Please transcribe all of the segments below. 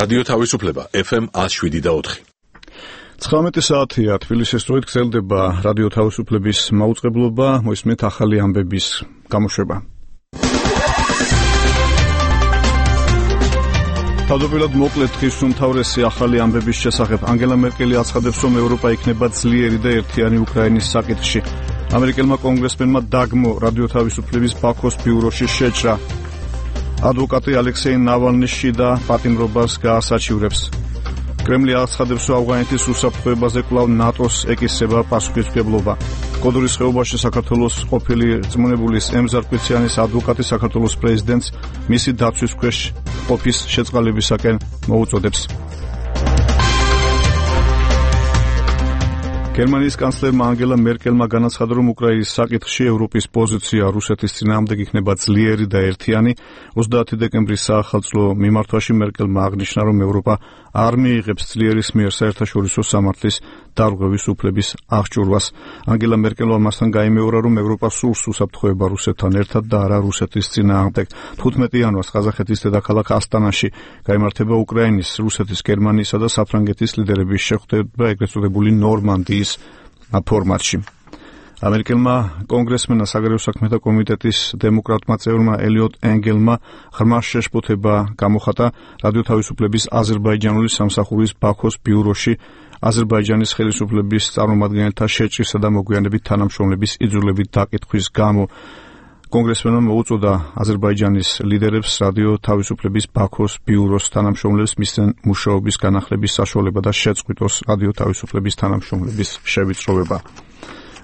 რადიო თავისუფლება FM 107.4. 19 საათია თბილისის დროით გრძელდება რადიო თავისუფლების მაუწყებლობა, მოისმენთ ახალი ამბების გამოშვება. თავდაპირველად მოკლედ დღის უმთავრესი ახალი ამბების შესახებ. ანგელა მერკელი აცხადებს, რომ ევროპა იქნება ძლიერი და ერთიანი უკრაინის საკითხში. ამერიკელმა კონგრესმენმა დაგმო რადიო თავისუფლების ბაქოს ბიუროში შეჭრა. ადვოკატი ალექსეი ნავალნის შიდა პატიმრობას გაასაჩივრებს. კრემლი აცხადებს, რომ ავღანეთის უსაფრთხოებაზე კვლავ ნატოს ეკისრება პასუხისმგებლობა. კოდურის ხეობაში საქართველოს ყოფილი რწმუნებულის ემზარ კვიციანის ადვოკატი საქართველოს პრეზიდენტს მისი დაცვის ქვეშ ყოფის შეწყალებისაკენ მოუწოდებს. გერმანიის კანცლერმა ანგელა მერკელმა განაცხადა, რომ უკრაინის საკითხში ევროპის პოზიცია რუსეთის წინააღმდეგ იქნება ძლიერი და ერთიანი. 30 დეკემბრის საახალწლო მიმართვაში მერკელმა აღნიშნა, რომ ევროპა არ მიიღებს ძლიერის მიერ საერთაშორისო სამართლის დარღვევის უფლების აღჭურვას. ანგელა მერკელმა მასთან გაიმეორა, რომ ევროპა სურს უსაფრთხოება რუსეთთან ერთად და არა რუსეთის წინააღმდეგ. 15 იანვარს ყაზახეთის დედაქალაქ ასტანაში გაიმართება უკრაინის, რუსეთის, გერმანიისა და საფრანგეთის ლიდერების შეხვედრა ეგრეთ წოდებული ნორმანდიის ფორმატში. ამერიკელმა კონგრესმენმა საგარეო საქმეთა კომიტეტის დემოკრატმა წევრმა ელიოტ ენგელმა ღრმა შეშფოთება გამოხატა რადიო თავისუფლების აზერბაიჯანული სამსახურის ბაქოს ბიუროში აზერბაიჯანის ხელისუფლების წარმომადგენელთა შეჭრისა და მოგვიანებით თანამშრომლების იძულებით დაკითხვის გამო. კონგრესმენმა მოუწოდა აზერბაიჯანის ლიდერებს რადიო თავისუფლების ბაქოს ბიუროს თანამშრომლებს მისცენ მუშაობის განახლების საშუალება და შეწყვიტოს რადიო თავისუფლების თანამშრომლების შევიწროვება.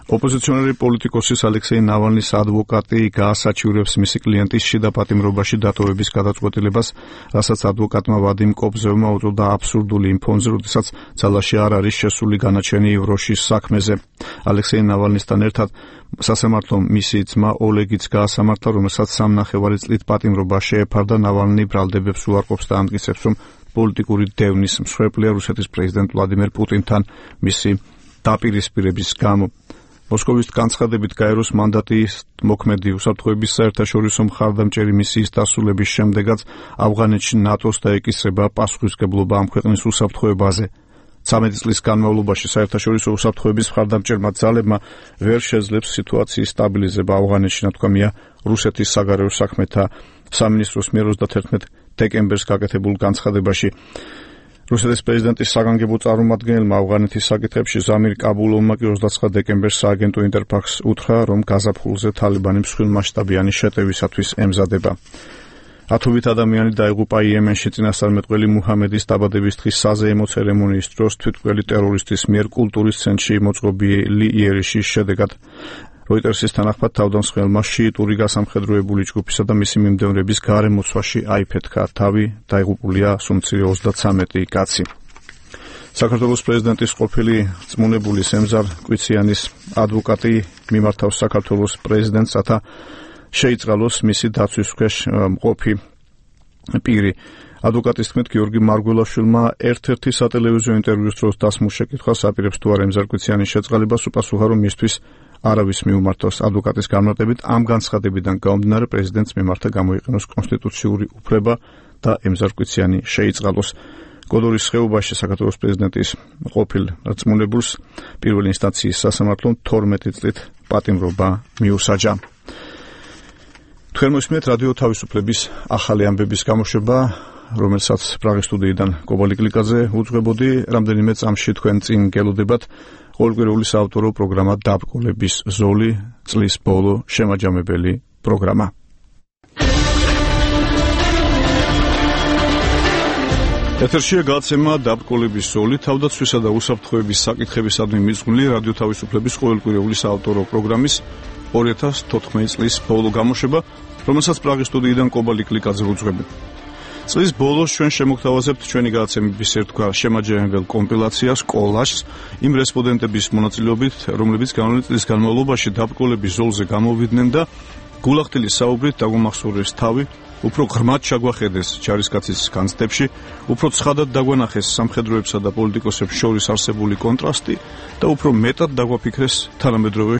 ოპოზიციონერი პოლიტიკოსის ალექსეი ნავალნის ადვოკატი გაასაჩივრებს მისი კლიენტის შიდა პატიმრობაში დატოვების გადაწყვეტილებას, რასაც ადვოკატმა ვადიმ კობზევმა უწოდა აბსურდული იმ ფონზე, როდესაც ძალაში არ არის შესული განაჩენი ევროშის საქმეზე. ალექსეი ნავალნისთან ერთად სასამართლომ მისი ძმა ოლეგიც გაასამართლა, რომელსაც 3.5 წლით პატიმრობა შეეფარდა. ნავალნი ბრალდებებს უარყოფს და ამტკიცებს, რომ პოლიტიკური დევნის მსხვერპლია რუსეთის პრეზიდენტ ვლადიმერ პუტინთან მისი დაპირისპირების გამო. მოსკოვის განცხადებით გაეროს მანდატის მოქმედი უსაფრთხოების საერთაშორისო მხარდამჭერი მისიის დასრულების შემდეგაც ავღანეთში ნატოს დაეკისრება პასუხისმგებლობა ამ ქვეყნის უსაფრთხოებაზე. 13 წლის განმავლობაში საერთაშორისო უსაფრთხოების მხარდამჭერმა ძალებმა ვერ შეძლებს სიტუაციის სტაბილიზება ავღანეთში, ნათქვამია რუსეთის საგარეო საქმეთა სამინისტროს მიერ 31 დეკემბერს გაკეთებულ განცხადებაში. რუსეთის პრეზიდენტის საგანგებო წარმომადგენელმა ავღანეთის საკითხებში ზამირ კაბულოვმა კი 29 დეკემბერს სააგენტო ინტერფაქს უთხრა, რომ გაზაფხულზე თალიბანი მსხვილმასშტაბიანი შეტევისათვის ემზადება. ათობით ადამიანი დაიღუპა იემენში წინასწარმეტყველი მუჰამედის დაბადების დღის საზეიმო ცერემონიის დროს თვითმკვლელი ტერორისტის მიერ კულტურის ცენტრში მოწყობილი იერიში შედეგად. როიტერსის თანახმად თავდამსხმელმა შიიტური გასამხედროებული ჯგუფისა და მისი მიმდევრების გარემოცვაში აიფეთქა თავი, დაიღუპულია სუმცირე 33 კაცი. საქართველოს პრეზიდენტის ყოფილი რწმუნებულის ემზარ კვიციანის ადვოკატი მიმართავს საქართველოს პრეზიდენტს, რათა შეიწყალოს მისი დაცვის ქვეშ მყოფი პირი. ადვოკატის თქმით, გიორგი მარგველაშვილმა ერთ-ერთი სატელევიზიო ინტერვიუს დროს დასმულ შეკითხვას აპირებს თუ არა ემზარ კვიციანის შეწყალებას, უპასუხა, რომ მისთვის არავის მიუმართავს. ადვოკატის განმარტებით, ამ განცხადებიდან გამომდინარე პრეზიდენტს მიმართა გამოიყენოს კონსტიტუციური უფლება და ემზარ კვიციანი შეიწყალოს. კოდურის ხეობაში საქართველოს პრეზიდენტის ყოფილ რწმუნებულს პირველი ინსტანციის სასამართლომ 12 წლით პატიმრობა მიუსაჯა. თქვენ მოსმენთ რადიო თავისუფლების ახალი ამბების გამოშვება, რომელსაც პრაღის სტუდიიდან კობალი კლიკაძე უძღვებოდი. რამდენიმე წამში თქვენ წინ გელოდებათ ყოველკვირეული საავტორო პროგრამა დაბრკოლების ზოლი, წლის ბოლო შემაჯამებელი პროგრამა. ეთერშია გადაცემა დაბრკოლების ზოლი, თავდაცვისა და უსაფრთხოების საკითხებისადმი მიძღვნილი რადიო თავისუფლების ყოველკვირეული საავტორო პროგრამის 2014 წლის ბოლო გამოშვება, რომელსაც პრაღის სტუდიიდან კობალი კლიკაძე უძღვებოდი. წლის ბოლოს ჩვენ შემოგთავაზებთ ჩვენი გადაცემების ერთგვარ შემაჯამებელ კომპილაციას, კოლაჟს, იმ რესპონდენტების მონაწილეობით, რომლებიც განვლილი წლის განმავლობაში დაბრკოლების ზოლზე გამოვიდნენ და გულახდილი საუბრით დაგვამახსოვრეს თავი, უფრო ღრმად ჩაგვახედეს ჯარისკაცის განცდებში, უფრო ცხადად დაგვანახეს სამხედროებსა და პოლიტიკოსებს შორის არსებული კონტრასტი და უფრო მეტად დაგვაფიქრეს თანამედროვე